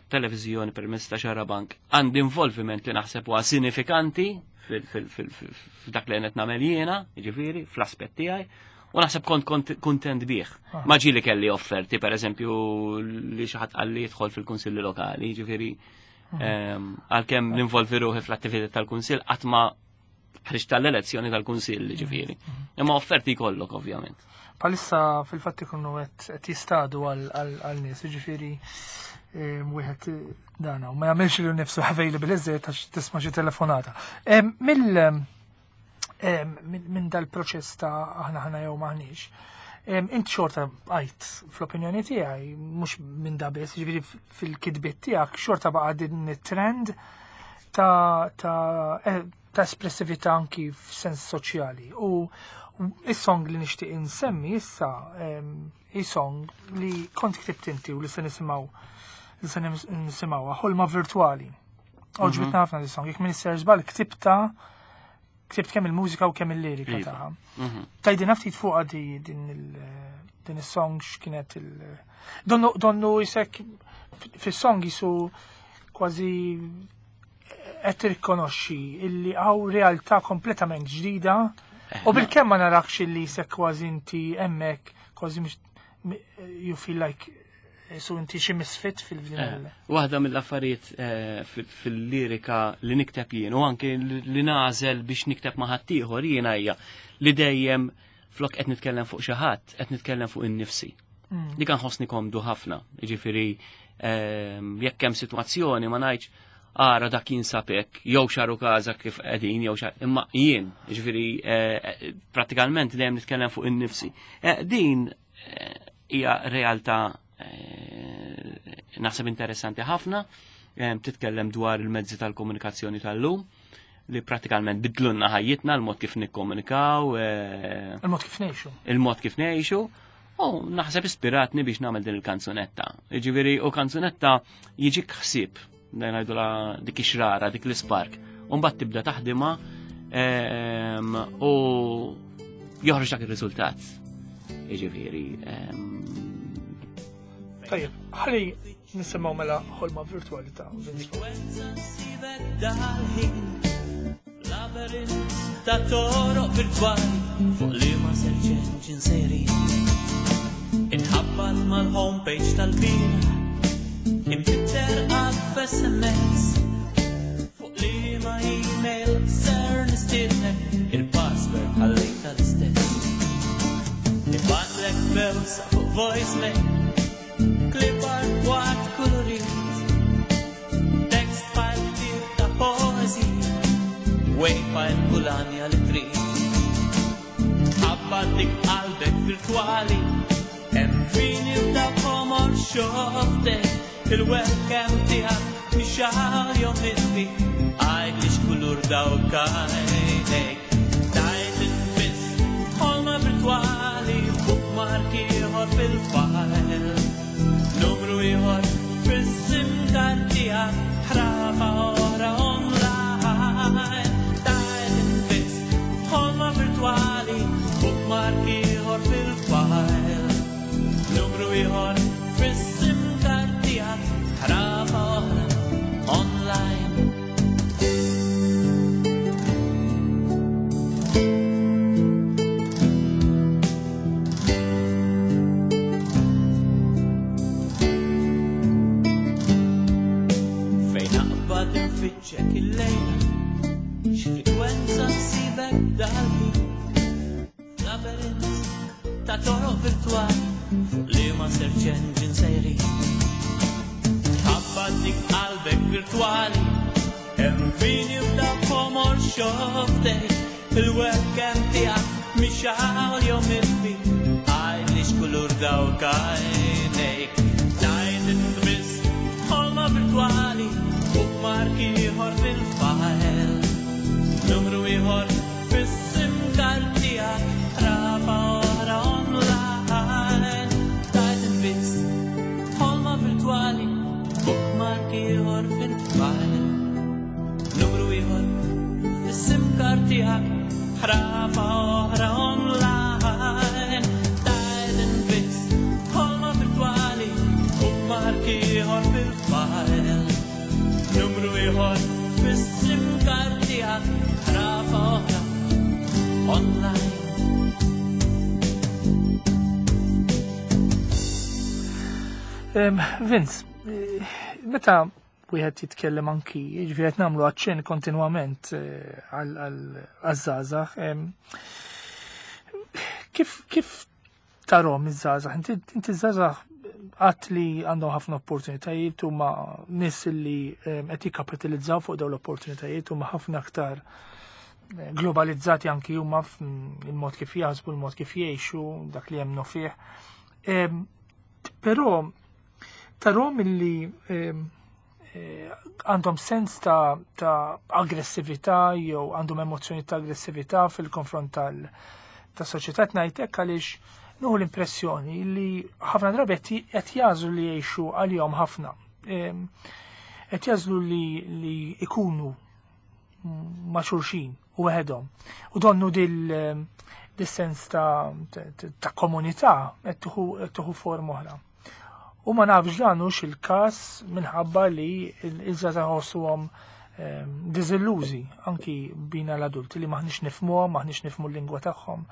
Speaker 2: televizjoni, permezz ta' xarabank, għandi involviment li naħseb huwa sinifikanti f'dak li qed nagħmel jiena, jiġifieri, fl-aspett tiegħi, u naħseb kont kuntent bih. Ah. Ma ġieli kelli offerti, per eżempju, li xi ħadd qalli jidħol fil-kunsilli lokali, jiġifieri ah. ehm, għalkemm ninvolvi ruħi fl-attività tal-kunsill qatt ma ħriġt tal-elezzjoni tal-Kunsill, ġifieri. Imma offerti jkollok ovvjament.
Speaker 1: Palissa fil-fatt ikunu qed jistadu għal nies, ġifieri eh, wieħed dana u ma jagħmilx li nifsu available iżjed għax tisma' xi telefonata. Eh, mill eh, minn dal-proċess ta' aħna ħana jew maħniex. Int xorta għajt fl-opinjoni tiegħi mhux minn da biss, ġifieri fil-kitbiet tiegħek xorta baqa' din it-trend ta' ta' eh, ta' espressività anki f'sens soċjali. U is-song li nixtieq insemmi issa hi song li kont ktibt inti u li se nisimgħu li se nisimgħuha ħolma virtwali. Oġbitna mhm. ħafna di song, jekk minn żball ktibta ktibt kemm il-mużika u kemm il-lirika iva. tagħha. Mhm. Tajdina ftit fuqha di din din is-song x'kienet il donnu donnu jisek fis-song jisu kważi qed tirrikonoxxi illi hawn realtà kompletament ġdida eh, u bil-kemm ma narakx illi jisek kważi inti hemmhekk kważi you feel like eh, su inti xi misfit fil-din. Eh,
Speaker 2: waħda mill-affarijiet fil-lirika li nikteb jien u anke li nażel biex nikteb ma' ħaddieħor jiena hija li dejjem flok qed nitkellem fuq xi ħadd, qed nitkellem fuq innifsi. Mm. Dik nħossni komdu ħafna, jiġifieri jekk hemm sitwazzjoni ma ngħidx ara dak jinsab hekk, jew xaru każa kif qegħdin, jew xar, imma jien, jiġifieri eh, prattikalment dejjem nitkellem fuq innifsi. Eh, din eh, hija realtà naħseb interessanti ħafna, titkellem dwar il-mezzi tal-komunikazzjoni tal-lum li pratikalment bidlunna ħajjitna l-mod kif nikkomunikaw.
Speaker 1: Eh, il-mod kif ngħixu.
Speaker 2: Il-mod kif ngħixu. U naħseb ispiratni biex nagħmel din il-kanzunetta. Jiġifieri u kanzunetta jiġik ħsieb, ngħidula dik ix-xrara, dik l-ispark. U mbagħad tibda taħdimha ehm, u joħroġ dak ir-riżultat. Jiġifieri. Ehm,
Speaker 1: Tajjeb, ħalli Nisimgħu mela ħolma virtwali ta' Vince
Speaker 3: Labyrinth ta' toroq virtwali fuq li ma search engine sejrin. Inħabbat mal-homepage tal-bira, impitter għal f'SMS fuq li ma email ser nistiednek il-password ħallejta l-istess. Nibatlek bewsa fuq voicemail Clip art waqt kulurit Text file ktir ta' poezija Wave file kulanja li trid Ħabba dik qalbek virtuali Hemm fini ta' komor xoftek Il-webcam tiegħek mixgħal jew mitfi Għajd li x'kulur dawk għajnejk Tajt infiss ħolma virtwali bookmark ieħor fil-file Numru ieħor fis-sim card tiegħek ħrafa oħra online Tajt infiss ħolma virtwali bookmark ieħor fil-file Numru ieħor fis-sim card tiegħek ħrafa oħra online Fejn naqbad infittxek il-lejla X'frekwenza nsibek dal-ħin Labyrinth. ta' toroq virtwali fuq liema search engine sejrin. Tħabbat dik qalbek virtwali hemm min jibda b'ħomor xofftejk il-webcam tiegħek mhix hawn jew mitfi għidli x'kulur dawk għajnejk. Tgħid int biss ħolma virtwali bookmark ieħor fil-file. Numru ieħor fis-SIM card tiegħek rafa oħra online. Tgħid int biss ħolma virtwali bookmark ieħor fil-file. Numru ieħor fis-SIM card tiegħek ħrafa oħra online. Tgħid int biss ħolma virtwali bookmark ieħor fil-file. Numru ieħor fis-SIM card tiegħek ħrafa oħra online.
Speaker 1: Vince, meta wieħed jitkellem anki, jiġifieri qed nagħmlu aċċenn kontinwament għaż-żgħażagħ, kif tarhom iż-żgħażagħ? Inti ż-żgħażagħ għat li għandhom ħafna opportunitajiet huma nies li qed jikkapitalizzaw fuq dawn l-opportunitajiet huma ħafna aktar globalizzati anki huma il-mod kif jaħsbu, il-mod kif jgħixu, dak li jemmnu fih. Però tarhom illi għandhom sens ta' aggressività jew għandhom emozzjoni ta' aggressività fil-konfront ta' soċjetà ngħidlek għaliex nieħu l-impressjoni li ħafna drabi qed jagħżlu li jgħixu għalihom ħafna. Qed jagħżlu li ikunu ma' xulxin u weħedhom. U donnu dil-sens ta' komunità qed tieħu forma oħra. U ma nafx dan hux il-każ minħabba li l-żgħażagħ ħossuhom diżillużi anki bina l-adulti li maħniex nifhmuhom, maħniex nifhmu l-lingwa tagħhom,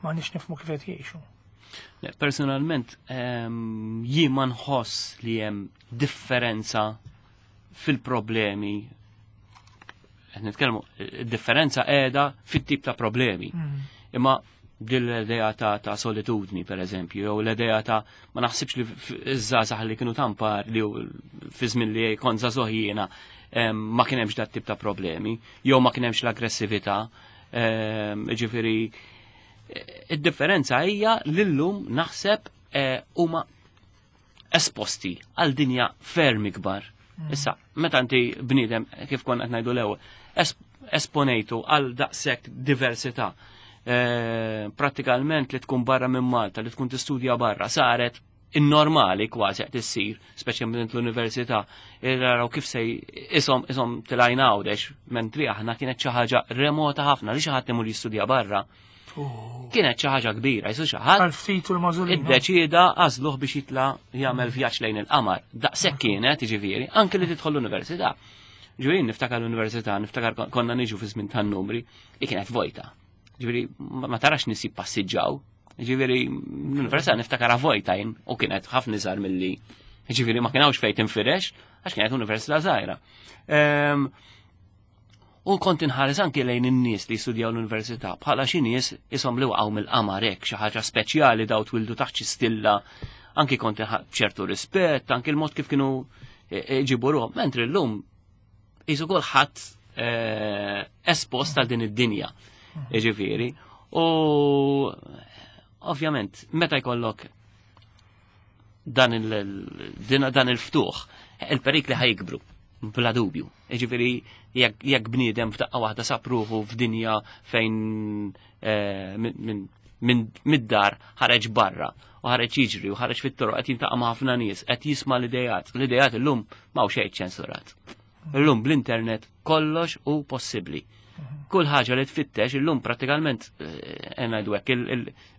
Speaker 1: maħniex nifhmu kif qed jgħixu.
Speaker 2: Le, personalment, jien ma nħoss li hemm differenza fil-problemi. Qed nitkellmu, id-differenza qiegħda fit-tip ta' problemi. Imma din l-idea ta' solitudni, per eżempju, jew l-idea ta' ma naħsibx li iż-żgħażagħ li kienu tampar li fi żmien li kont żagħżugħ jiena ma kien hemmx dat tip ta' problemi, jew ma kien hemmx l-aggressività. Ġifieri, id-differenza hija li llum naħseb huma esposti għal dinja ferm ikbar. Issa, meta inti bniedem, kif konna qed ngħidu l-ewwel, esponejtu għal daqshekk diversità. Prattikalment li tkun barra minn Malta, li tkun tistudja barra, saret in-normali kważi qed issir, speċjalment l-università, naraw kif se isom tilajna Għawdex, mentri aħna kienet xi ħaġa remota ħafna li xi ħadd imur jistudja barra. Kienet xi ħaġa kbira, jisu xi ħadd
Speaker 1: Għal ftit u l-mażulina.
Speaker 2: iddeċieda għażluh biex jitla' jagħmel vjaġġ lejn il-qamar. Daqshekk kienet, jiġifieri, anke li tidħol l-università. Ġifieri niftakar l-università, niftakar konna niġu fi żmien tan-numri, li kienet vojta. Ġifieri ma tarax nies jippassiġġaw. Ġifieri l-università niftakar vojta jien u kienet ħafna iżgħar milli. Ġifieri ma kienx fejn tinfirex għax kienet università żgħira. U kont inħares anki lejn in-nies li jistudjaw l-università bħala xi nies ishom li waqgħu mill-qamar hekk, xi ħaġa speċjali daw twildu taħt xi stilla, anki kont b'ċertu rispett, anki l-mod kif kienu ġibu ruħhom, mentri llum qisu kulħadd espost għal din id-dinja. Jiġifieri, u ovvjament meta jkollok dan il-ftuħ, il-perikli ħajkbru, bla dubju. Jiġifieri, jekk bniedem f'daqqa waħda sab ruħu f'dinja fejn mid-dar ħareġ barra u ħareġ jiġri u ħareġ fit-toroq qed jiltaqa' ma' ħafna nies, qed jisma' l-idejat. L-idejat illum m'hawn xejn ċensurat. Illum bl-internet kollox hu possibbli. Kull ħaġa li tfittex illum prattikalment ngħidu hekk,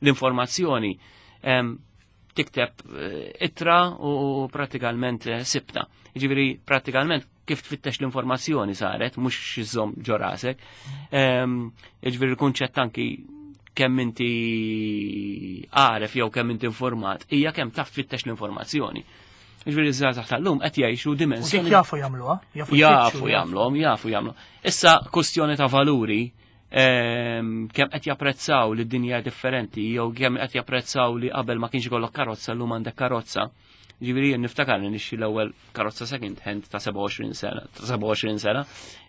Speaker 2: l-informazzjoni tikteb ittra u prattikalment sibta. Jiġifieri prattikalment kif tfittex l-informazzjoni saret, mhux iżżomm ġo rasek. Jiġifieri l-kunċett anki kemm inti għaref jew kemm inti informat, hija kemm taf tfittex l-informazzjoni. Jiġifieri ż-żgħażagħ tal-lum qed jgħixu dimensjoni.
Speaker 1: Dik jafu jagħmluha, jafu
Speaker 2: Jafu
Speaker 1: jfittxu,
Speaker 2: jagħmluhom, jafu jagħmlu. Issa kwestjoni ta' valuri, Kemm qed japprezzaw li d-dinja differenti jew kemm qed japprezzaw li qabel ma kienx ikollok karozza llum għandek karozza. Ġifieri jien niftakar li nixxi l-ewwel karozza second hand ta' 27 sena, ta' 27 sena.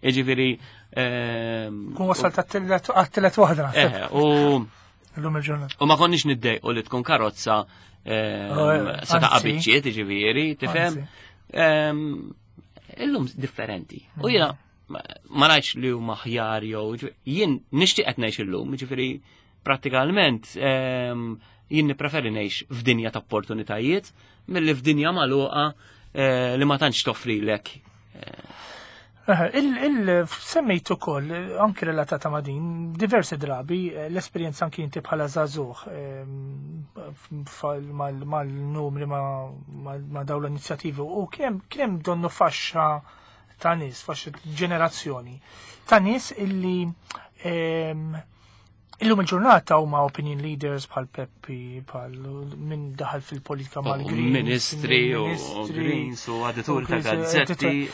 Speaker 2: Ġifieri
Speaker 1: Kun wasal ta' għat-tillet waħda.
Speaker 2: U
Speaker 1: Illum il-ġurnata.
Speaker 2: U ma konniex niddejqu li tkun karozza
Speaker 1: Oh,
Speaker 2: se ta'
Speaker 1: anzi.
Speaker 2: biċċiet, ġifieri, tifhem?
Speaker 1: Anzi.
Speaker 2: Illum differenti. U jiena ma ngħidx li huma aħjar jew jien nixtieq qed ngħix illum, ġifieri prattikalment jien nippreferi ngħix f'dinja ta' opportunitajiet milli f'dinja magħluqa li ma tantx toffrilek.
Speaker 1: Semmejt ukoll anki relatata ma' din diversi drabi l-esperjenza anki inti bħala żagħżugħ mal-numri ma' dawn l-inizjattivi u kien hemm donnu faxxa ta' nies, faxxa ġenerazzjoni ta' nies illi illum il-ġurnata huma opinion leaders bħal Peppi, bħal min daħal fil-politika mal-Greens.
Speaker 2: Ministri u
Speaker 1: ministri,
Speaker 2: Greens u edituri ta'
Speaker 1: u Greens,
Speaker 2: gazzetti.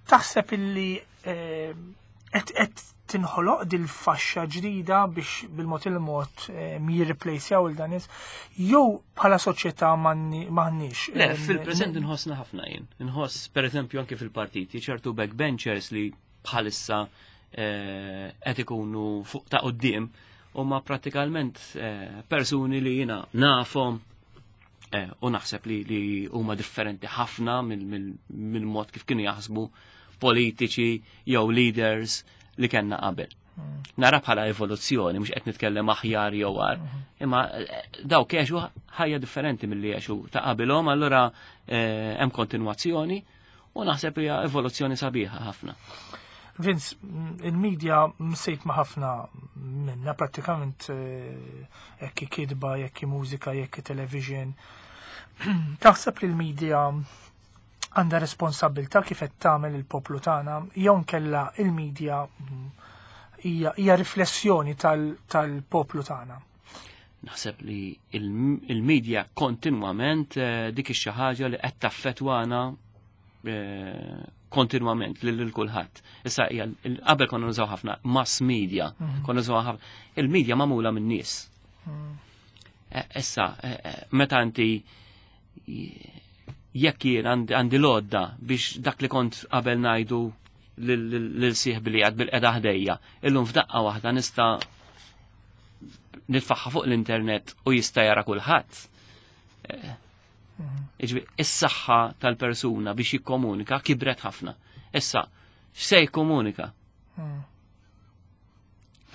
Speaker 1: Taħseb illi qed tinħoloq dil-faxxa ġdida biex bil-mod il-mod jirreplacjaw il dan nies jew bħala soċjetà m'għandniex.
Speaker 2: Le, fil-preżent inħossna ħafna jien. Inħoss, per eżempju, anke fil-partiti, ċertu backbenchers li bħalissa qed ikunu fuq ta' quddiem huma prattikalment persuni li jiena nafhom u naħseb li huma differenti ħafna mill-mod kif kienu jaħsbu politiċi jew leaders li kellna qabel. Nara bħala evoluzzjoni, mhux qed nitkellem aħjar jew agħar, imma dawk għexu ħajja differenti milli għexu ta' qabilhom, allura hemm kontinwazzjoni u naħseb hija evoluzzjoni sabiħa ħafna.
Speaker 1: Vince, il-medja msejt ma' ħafna minna prattikament jekk kitba, jekk mużika, jekk television. Taħseb li l-medja għandha responsabilità kif qed tagħmel il-poplu tagħna jew nkella il-medja hija riflessjoni tal-poplu tagħna?
Speaker 2: Naħseb li il-medja kontinwament dik ix-xi ħaġa li qed taffettwana kontinwament lil kulħadd. Issa hija qabel konna nużaw ħafna mass media, konna nużaw ħafna il-media magħmula min-nies. Issa meta inti jekk jien għandi l-għodda biex dak li kont qabel ngħidu lil sieħbi li għad bil-qeda ħdejja, illum f'daqqa waħda nista' nitfaħħa fuq l-internet u jista' jara kulħadd. Jiġifieri, is-saħħa tal-persuna biex jikkomunika kibret ħafna. Issa, x'se jikkomunika?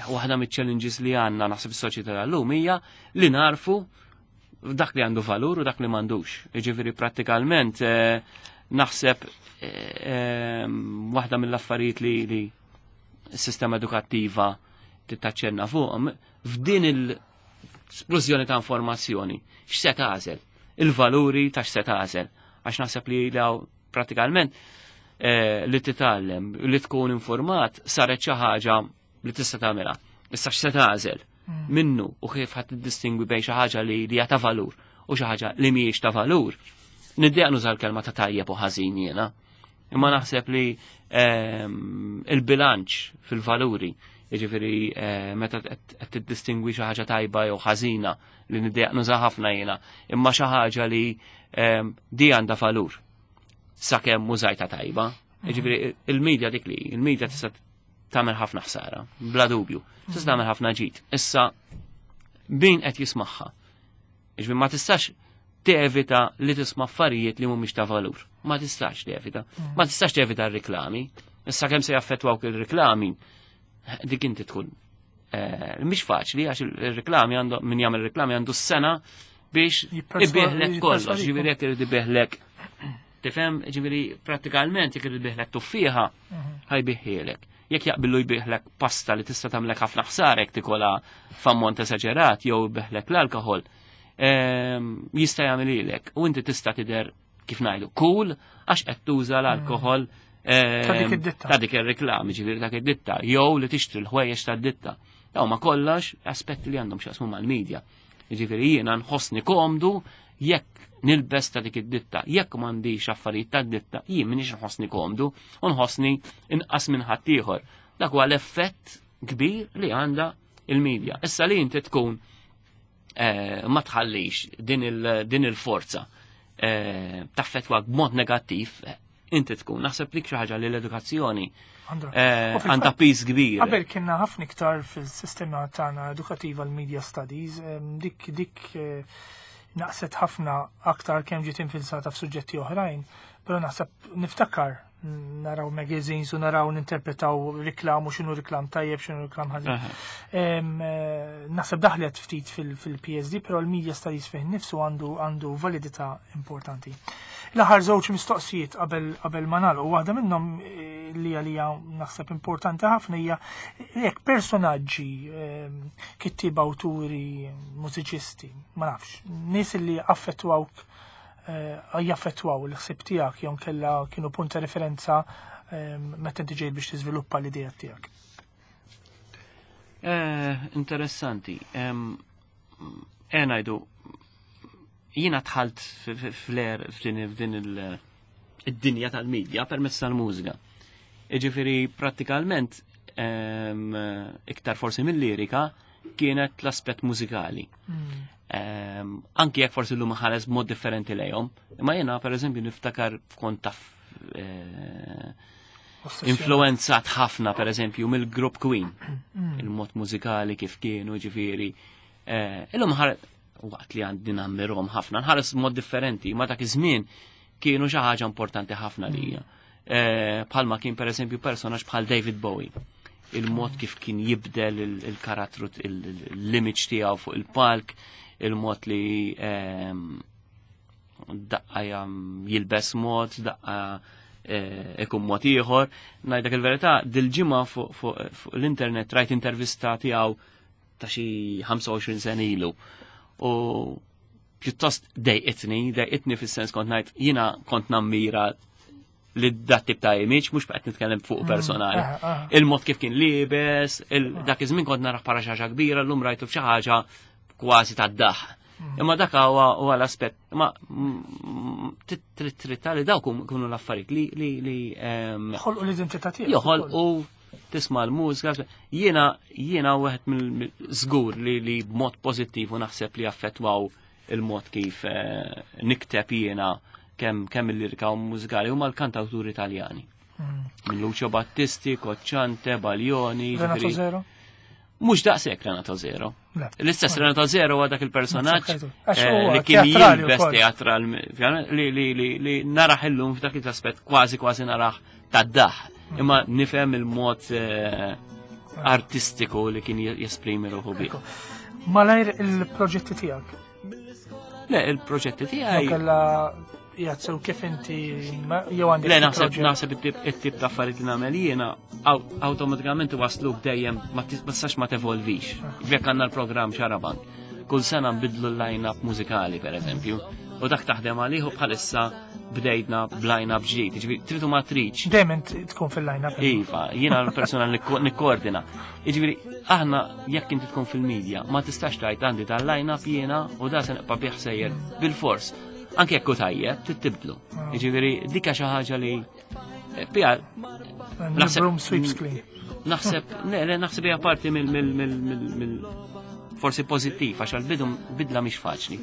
Speaker 2: Waħda miċ-challenges li għandna naħseb is-soċjetà tal-lum hija li narfu dak li għandu valur u dak li m'għandux. Jiġifieri prattikalment naħseb waħda mill-affarijiet li s-sistema edukattiva tittaċċenna fuqhom f'din l-splużjoni ta' informazzjoni, x'se tagħżel? Il-valuri ta' x'se tagħżel? Għax naħseb li law prattikalment li titgħallem, li tkun informat saret xi ħaġa li tista' tagħmilha. Issa x'se tagħżel minnu u kif ħadd tiddistingwi bejn xi ħaġa li hija ta' valur u xi ħaġa li mhijiex ta' valur. Niddejjaq nuża l-kelma ta' tajjeb u ħażin jiena. Imma naħseb li il-bilanċ fil-valuri, jiġifieri meta qed tiddistingwi xi ħaġa tajba jew ħażina li niddejjaq nuża ħafna jiena, imma xi ħaġa li di għandha valur sakemm użajta tajba. Jiġifieri il-medja dik li, il-medja tista' tagħmel ħafna ħsara, bla dubju, tista' tagħmel ħafna ġid. Issa min qed jismagħha? Jiġifieri ma tistax tevita li tisma' affarijiet li mhumiex ta' valur. Ma tistax tevita. Ma tistax tevita r-riklami. Issa kemm se jaffettwawk ir-riklami, dik inti tkun. Mhix faċli għax il-riklami għandu min jagħmel riklami għandu s-sena biex ibieħlek kollox,
Speaker 1: Jipperswadikom.
Speaker 2: ġifieri jekk irid ibieħlek. Tifhem, ġifieri prattikalment jekk irid ibieħlek tuffieħa, ħajbiħielek. Jekk jaqbillu jbieħlek pasta li tista' tagħmlek ħafna ħsara jekk tikolha f'ammont esaġerat jew jbieħlek l-alkoħol, jista' jagħmililek u inti tista' tidher kif ngħidu cool għax qed tuża l-alkoħol,
Speaker 1: Ta' dik id-ditta.
Speaker 2: ta' dik ir-reklami, ġifieri dak id-ditta, jew li tixtri l-ħwejjeġ tad-ditta. Daw ma kollox aspetti li għandhom x'jaqsmu mal-medja. Ġifieri jiena nħossni komdu jekk nilbes ta' dik id-ditta, jekk m'għandix affarijiet tad-ditta, jien m'iniex nħossni komdu u nħossni inqas minn ħaddieħor. Dak huwa l-effett kbir li għandha il-medja. Issa li inti tkun eh, ma tħallix din il-forza eh, taffetwa b'mod negattiv, eh, inti tkun. Naħseb dik xi ħaġa li l-edukazzjoni għandha piż kbir.
Speaker 1: Qabel kienna ħafna iktar fil-sistema tagħna edukattiva l-media studies, dik dik naqset ħafna aktar kemm ġiet infilsata f'suġġetti oħrajn, però naħseb niftakar naraw magazines u naraw ninterpretaw riklam u x'inhu riklam tajjeb x'inhu riklam ħażin. Eh, naħseb daħlet ftit fil-PSD, però l-media studies fih nifsu għandu għandu validità importanti. L-aħħar żewġ mistoqsijiet qabel qabel ma nagħlqu waħda minnhom eh, li għalija naħseb importanti ħafna hija jekk personaġġi kittieba awturi, mużiċisti, ma nafx, nies li affettwawk Eh, jaffettwaw il-ħsieb tiegħek jew kella kienu punt ta' referenza ehm, meta inti ġejt biex tiżviluppa l-idea tiegħek.
Speaker 2: Eh, interessanti. Eh, ngħidu jiena dħalt fl-er f'din id-dinja tal-medja permezz tal-mużika. Iġifieri prattikalment iktar forsi mill-lirika kienet l-aspett mużikali. Mm. Anki jekk forsi l-lum ħares b'mod differenti lejhom, imma jiena pereżempju niftakar f'kont taf eh, influenzat ħafna pereżempju mill-grupp Queen, mm. il-mod mużikali kif kienu ġifieri. Eh, illum ħares waqt li għandi nammirhom ħafna, nħares b'mod differenti, ma dak iż-żmien kienu xi ħaġa importanti ħafna lija. Mm. Eh, bħalma kien pereżempju personaġġ bħal David Bowie il-mod kif kien jibdel il-karattru l-image tiegħu fuq il-palk, il-mod li ehm, daqqa jilbes mod, daqqa eh, ikun mod ieħor. Ngħidlek il-verità, dil-ġimgħa fuq l-internet rajt intervista tiegħu ta' xi 25 sena ilu. U pjuttost dejqitni, dejqitni fis-sens kont ngħid jiena kont nammira li dat tip ta' image, mhux qed nitkellem fuq mm, personali. Ah, ah. Il-mod kif kien libes, ah. dak iż-żmien kont narah bħala xi ħaġa kbira, llum rajtu f'xi ħaġa kważi tad-daħ. Mm. Imma dak huwa l-aspett, ma trid trid li dawk kunu l-affarijiet li li li
Speaker 1: ehm, Ħolqu l-identità tiegħek.
Speaker 2: Joħolqu tisma' l-mużika. Jiena jiena wieħed mill-żgur li li b'mod pożittiv u naħseb li affettwaw il-mod kif eh, nikteb jiena kemm kemm il-lirika u mużikali huma l-kantawturi Italjani. Mm. Minn Lucio Battisti, Cocciante, Baglioni.
Speaker 1: Renato Zero?
Speaker 2: Mhux daqshekk Renato Zero. L-istess Renato Zero huwa dak il-personaġġ eh, li kien jilbes teatral li li li li naraħ illum f'dak il-aspett kważi kważi naraħ tad-daħ. Imma nifhem il-mod eh, artistiku li kien jesprimi ruħu bih.
Speaker 1: Malajr il-proġetti tiegħek.
Speaker 2: Le, il-proġetti tiegħi.
Speaker 1: Kella jazzew kif inti jew għandek.
Speaker 2: Le, naħseb naħseb it-tip ta' affarijiet li nagħmel jiena awtomatikament wasluk dejjem ma tistax ma tevolvix. Ah. Jekk għandna l-programm Xarabank. Kull sena nbidlu l-line-up mużikali, per eżempju, u dak taħdem għalih u bħalissa bdejtna b'line-up ġdid, ġifieri tridu ma tridx.
Speaker 1: Dejjem tkun fil-line-up.
Speaker 2: Iva, jiena l-persuna li nikkoordina. Jiġifieri aħna jekk inti tkun fil-media ma tistax tgħid għandi tal-line-up jiena u da se nibqa' bih sejjer bil-fors. Anke jekk hu tajjeb, trid tibdlu. Ah. Jiġifieri dik xi ħaġa li eh, bija
Speaker 1: naħseb sweeps clean.
Speaker 2: Naħseb, le, le, naħseb hija parti mill mill mill forsi pożittiv għax għal-bidu bidla mhix faċli.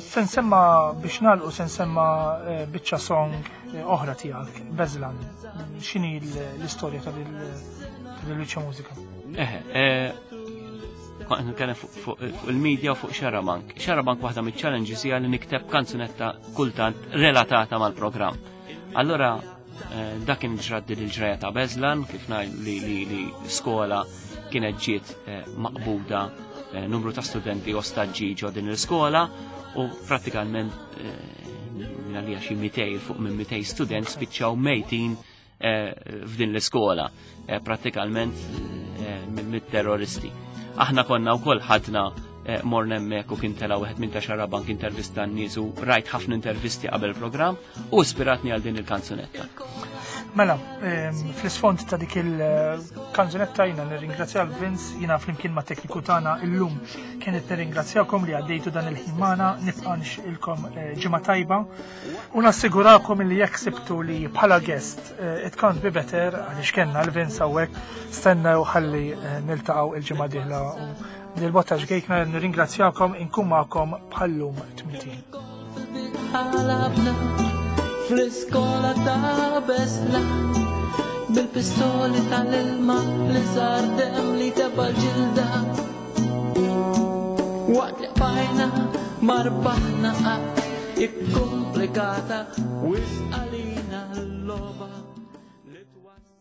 Speaker 1: Se nsemma biex nagħlqu se nsemma eh, biċċa song eh, oħra tiegħek, Bezlan. X'inhi l-istorja ta' dil-biċċa mużika?
Speaker 2: Eh, kont nitkellem fuq il-media u fuq Xarabank. Xarabank waħda miċ-challenges hija li nikteb kanzunetta kultant relatata mal-programm. Allora dak kien ġrat din il-ġraja ta' Bezlan, kif ngħid li, li, li skola kienet ġiet eh, maqbuda eh, numru ta' studenti ostaġġi ġo din l-iskola u prattikalment minn għalija xi 200 fuq minn 200 student spiċċaw mejtin f'din l-iskola prattikalment mit-terroristi. Aħna konna wkoll ħadna eh, morna hemmhekk u kien tela wieħed minn ta' xarabank intervista n-nies u rajt ħafna intervisti qabel programm u ispiratni għal din il-kanzunetta.
Speaker 1: Mela, fl-isfond ta' dik il-kanzunetta jina nirringrazzja l-Vince, jina flimkien ma' tekniku tagħna illum kienet nirringrazzjakom li għaddejtu dan il-ħin magħna, nibqa' nixtieqilkom eh, ġimgħa tajba u nassigurakom li jekk sibtu li bħala guest eh, it can't be better għaliex kellna l-Vince hawnhekk stennew ħalli eh, niltaqgħu il-ġimgħa dieħla u dil-botta ġgejkna nirringrazzjakom inkun magħkom bħallum tmintin.
Speaker 3: Fl-iskola ta' besla Bil-pistoli tal-ilma li sar dem li teba ġilda Waqt li bajna marbaħna qatt ikkomplikata wisq għalina l-logħba li twassal.